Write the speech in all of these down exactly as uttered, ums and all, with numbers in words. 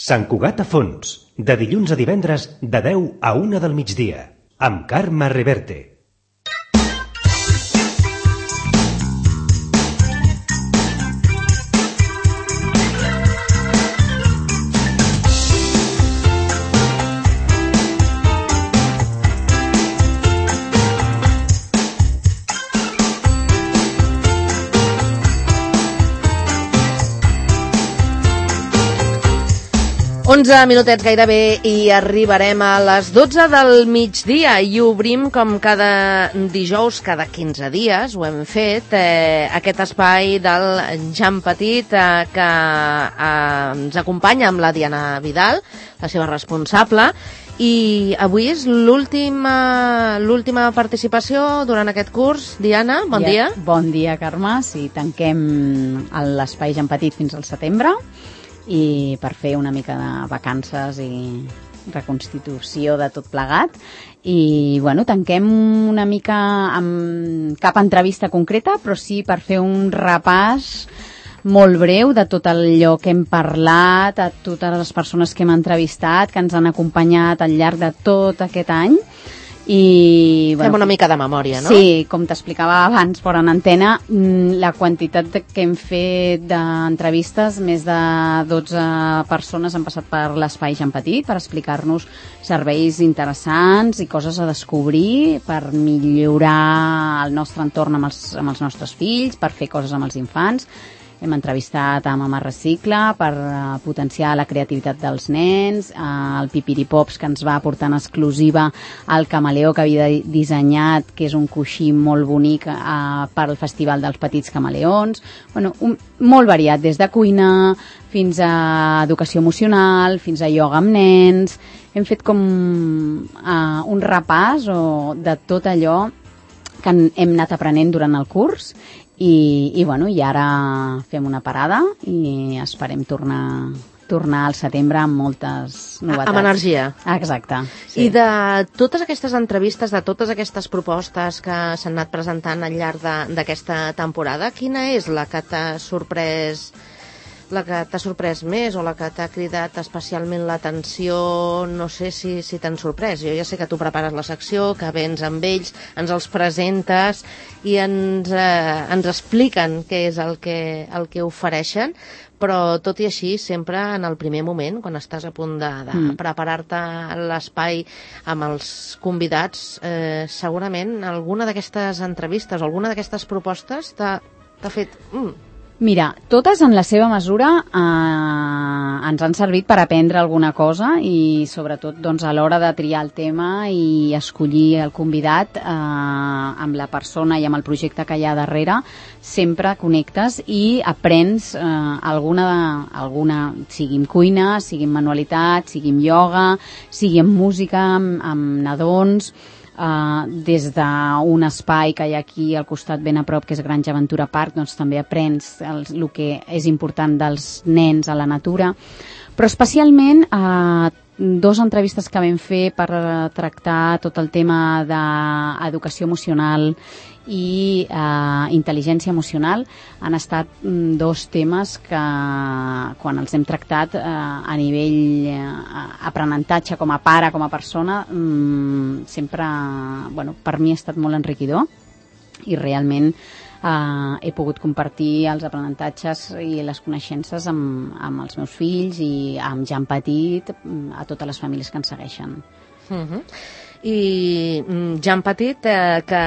Sant Cugat a fons, de dilluns a divendres de deu a una del migdia, amb Carme Reverte. onze minutets gairebé i arribarem a les dotze del migdia i obrim com cada dijous, cada quinze dies, ho hem fet, eh, aquest espai del Jan Petit eh, que eh, ens acompanya amb la Diana Vidal, la seva responsable, i avui és l'última l'última participació durant aquest curs. Diana, bon dia. Ja, bon dia, Carme. Sí, tanquem l'espai Jan Petit fins al setembre, i per fer una mica de vacances i reconstitució de tot plegat. I bueno, tanquem una mica amb cap entrevista concreta, però sí per fer un repàs molt breu de tot allò que hem parlat, a totes les persones que hem entrevistat, que ens han acompanyat al llarg de tot aquest any. I, bueno, fem una mica de memòria, no? Sí, com t'explicava abans fora en antena, la quantitat que hem fet d'entrevistes, més de dotze persones han passat per l'espai Jan Petit per explicar-nos serveis interessants i coses a descobrir per millorar el nostre entorn amb els, amb els nostres fills, per fer coses amb els infants. Hem entrevistat a Mama Recicla per uh, potenciar la creativitat dels nens, uh, el Pipiripops, que ens va portar en exclusiva el camaleó que havia dissenyat, que és un coixí molt bonic uh, per al Festival dels Petits Camaleons. Bueno, un, molt variat, des de cuina fins a educació emocional, fins a ioga amb nens. Hem fet com uh, un repàs o, de tot allò que hem anat aprenent durant el curs. I, i, bueno, i ara fem una parada i esperem tornar, tornar al setembre amb moltes novetats. Amb energia. Exacte. Sí. I de totes aquestes entrevistes, de totes aquestes propostes que s'han anat presentant al llarg d'aquesta temporada, quina és la que t'ha sorprès la que t'ha sorprès més o la que t'ha cridat especialment l'atenció? No sé si, si t'han sorprès. Jo ja sé que tu prepares la secció, que vens amb ells, ens els presentes i ens, eh, ens expliquen què és el que, el que ofereixen, però tot i així, sempre en el primer moment, quan estàs a punt de, de mm. preparar-te l'espai amb els convidats, eh, segurament alguna d'aquestes entrevistes o alguna d'aquestes propostes t'ha, t'ha fet... Mm, Mira, totes en la seva mesura eh, ens han servit per aprendre alguna cosa i sobretot doncs, a l'hora de triar el tema i escollir el convidat eh, amb la persona i amb el projecte que hi ha darrere, sempre connectes i aprens eh, alguna, alguna, sigui en cuina, sigui en manualitat, sigui en ioga, sigui en música, amb, amb nadons. Uh, des d'un espai que hi ha aquí al costat ben a prop, que és Granja Aventura Park, doncs també aprens el, el que és important dels nens a la natura, però especialment uh, dos entrevistes que vam fer per tractar tot el tema d'educació emocional i eh, intel·ligència emocional han estat mm, dos temes que quan els hem tractat eh, a nivell eh, aprenentatge com a pare, com a persona, mm, sempre, bueno, per mi ha estat molt enriquidor i realment eh, he pogut compartir els aprenentatges i les coneixences amb, amb els meus fills i amb Jan Petit, a totes les famílies que ens segueixen. Uh-huh. I Jan Petit, eh, que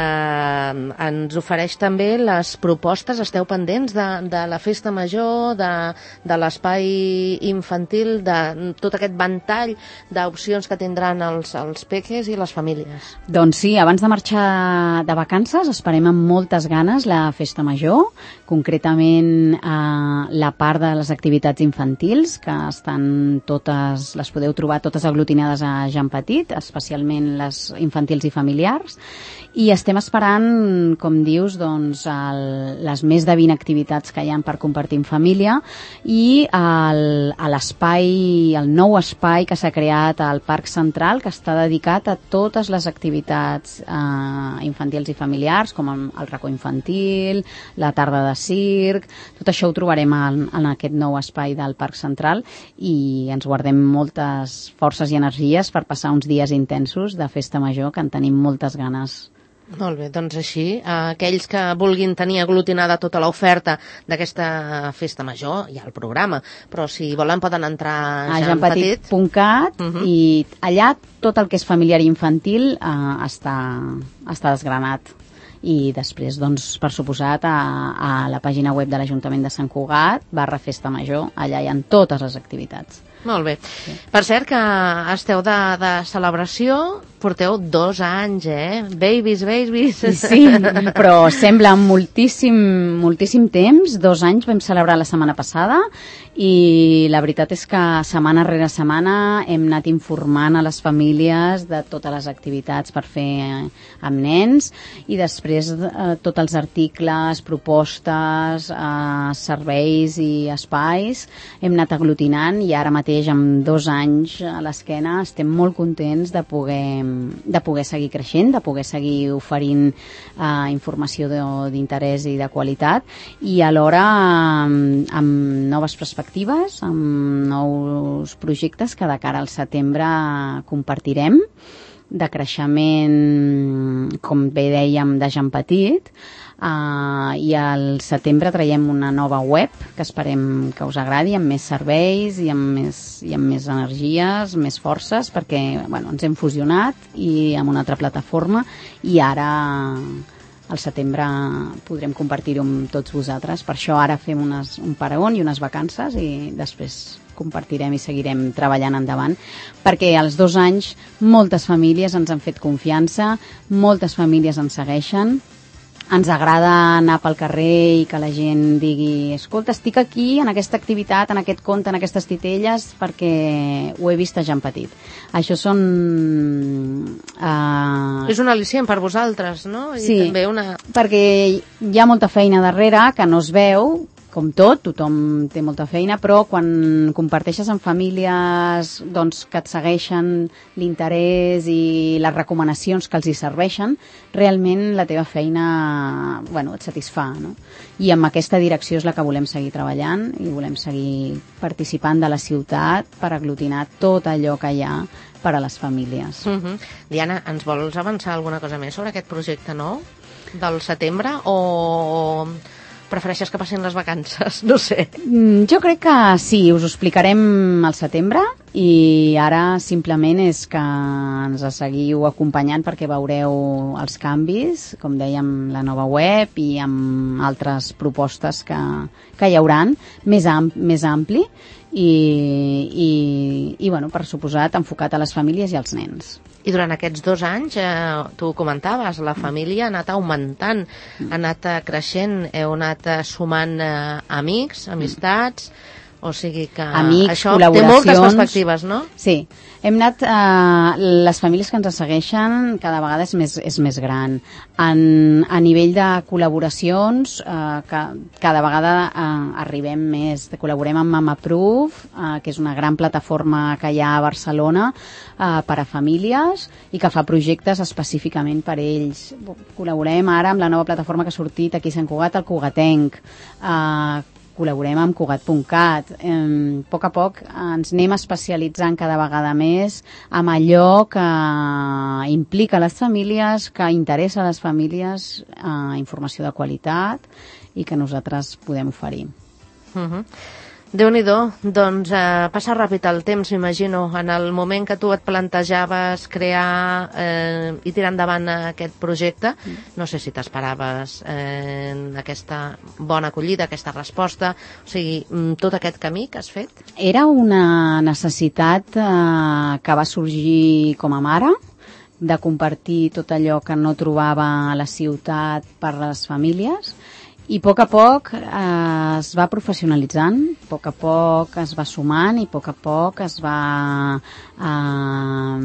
ens ofereix també les propostes, esteu pendents de, de la festa major, de, de l'espai infantil, de tot aquest ventall d'opcions que tindran els, els peques i les famílies. Doncs sí, abans de marxar de vacances esperem amb moltes ganes la festa major, concretament eh, la part de les activitats infantils, que estan totes, les podeu trobar totes aglutinades a Jan Petit, especialment la tendes infantils i familiars, i estem esperant, com dius, doncs, el, les més de vint activitats que hi ha per compartir en família, i el, a l'espai, el nou espai que s'ha creat al Parc Central, que està dedicat a totes les activitats eh, infantils i familiars, com el, el racó infantil, la tarda de circ. Tot això ho trobarem en, en aquest nou espai del Parc Central, i ens guardem moltes forces i energies per passar uns dies intensos de festa major, que en tenim moltes ganes. Molt bé, doncs així, aquells que vulguin tenir aglutinada tota l'oferta d'aquesta festa major, hi ha el programa, però si volen poden entrar a jan petit punt cat, uh -huh. i allà tot el que és familiar i infantil eh, està, està desgranat. I després, doncs, per suposat, a, a la pàgina web de l'Ajuntament de Sant Cugat, barra Festa Major, allà hi ha totes les activitats. Molt bé. Sí. Per cert, que esteu de, de celebració, porteu dos anys, eh? Babies, babies. Sí, però sembla moltíssim, moltíssim temps. Dos anys vam celebrar la setmana passada, i la veritat és que setmana rere setmana hem anat informant a les famílies de totes les activitats per fer amb nens, i després eh, tots els articles, propostes, eh, serveis i espais hem anat aglutinant, i ara mateix amb dos anys a l'esquena estem molt contents de poder, de poder seguir creixent, de poder seguir oferint eh, informació d'interès i de qualitat, i alhora amb, amb noves perspectives, amb nous projectes que de cara al setembre compartirem, de creixement, com bé dèiem, de Jan Petit, Uh, i al setembre traiem una nova web que esperem que us agradi, amb més serveis i amb més, i amb més energies, més forces, perquè bueno, ens hem fusionat i amb una altra plataforma, i ara al setembre podrem compartir-ho amb tots vosaltres. Per això ara fem unes, un paregón i unes vacances, i després compartirem i seguirem treballant endavant, perquè als dos anys moltes famílies ens han fet confiança, moltes famílies ens segueixen. Ens agrada anar pel carrer i que la gent digui: escolta, estic aquí en aquesta activitat, en aquest conte, en aquestes titelles, perquè ho he vist a Jan Petit. Això són... Uh... És un al·licient per vosaltres, no? I sí, també una... perquè hi ha molta feina darrere que no es veu, com tot, tothom té molta feina, però quan comparteixes amb famílies doncs, que et segueixen l'interès i les recomanacions que els hi serveixen, realment la teva feina bueno, et satisfà, no? I amb aquesta direcció és la que volem seguir treballant, i volem seguir participant de la ciutat per aglutinar tot allò que hi ha per a les famílies. Uh-huh. Diana, ens vols avançar alguna cosa més sobre aquest projecte nou del setembre, o prefereixes que passin les vacances? No sé. Jo crec que sí, us ho explicarem al setembre, i ara simplement és que ens seguiu acompanyant perquè veureu els canvis, com dèiem, la nova web i amb altres propostes que, que hi hauran, més, am, més ampli, i, i, i bueno, per suposat, enfocat a les famílies i als nens. I durant aquests dos anys, eh, tu ho comentaves, la família ha anat augmentant, ha anat creixent, heu anat sumant eh, amics, amistats, o sigui que amics, això té moltes perspectives, no? Sí, hem anat, eh, les famílies que ens segueixen cada vegada és més, és més gran. En, a nivell de col·laboracions, eh, que cada vegada eh, arribem més, col·laborem amb MamaProof, eh, que és una gran plataforma que hi ha a Barcelona eh, per a famílies i que fa projectes específicament per a ells. Col·laborem ara amb la nova plataforma que ha sortit aquí a Sant Cugat, el Cugatenc, eh, col·laborem amb Cugat punt cat. Eh, a poc a poc ens anem especialitzant cada vegada més amb allò que implica les famílies, que interessa a les famílies, eh, informació de qualitat i que nosaltres podem oferir. Uh-huh. Déu-n'hi-do, doncs eh, passa ràpid el temps, m'imagino, en el moment que tu et plantejaves crear eh, i tirar endavant aquest projecte. No sé si t'esperaves eh, aquesta bona acollida, aquesta resposta, o sigui, tot aquest camí que has fet. Era una necessitat eh, que va sorgir com a mare, de compartir tot allò que no trobava a la ciutat per les famílies, I a poc a poc eh, es va professionalitzant, a poc a poc es va sumant i a poc a poc es va eh,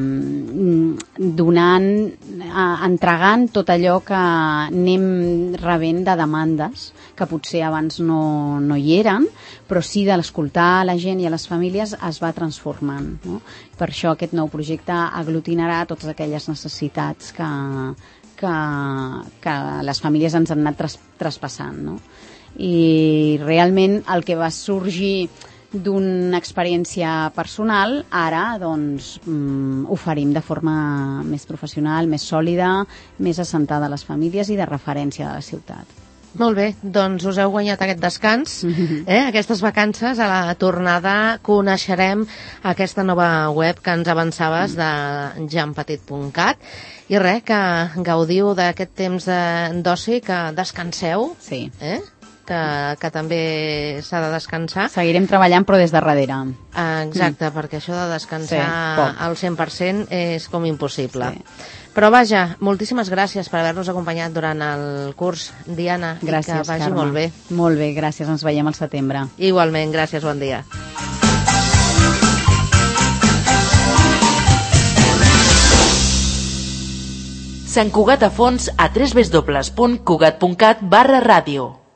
donant, eh, entregant tot allò que anem rebent de demandes que potser abans no, no hi eren, però sí de l'escoltar a la gent i a les famílies es va transformant, no? Per això aquest nou projecte aglutinarà totes aquelles necessitats que Que, que les famílies ens han anat tras, traspassant, no? I realment el que va sorgir d'una experiència personal, ara doncs mm, oferim de forma més professional, més sòlida, més assentada a les famílies i de referència de la ciutat. Molt bé, doncs us heu guanyat aquest descans, eh? Aquestes vacances. A la tornada coneixerem aquesta nova web que ens avançaves de jampetit punt cat i res, que gaudiu d'aquest temps d'oci, que descanseu, sí. eh? que, que també s'ha de descansar. Seguirem treballant però des de darrere. Exacte, mm. perquè això de descansar sí, al cent per cent és com impossible. Sí. Però vaja, moltíssimes gràcies per haver-nos acompanyat durant el curs, Diana, gràcies, i que vagi Carme. molt bé. Molt bé, gràcies, ens veiem al setembre. Igualment, gràcies, bon dia. Sant Cugat a fons a w w w punt cugat punt cat barra ràdio.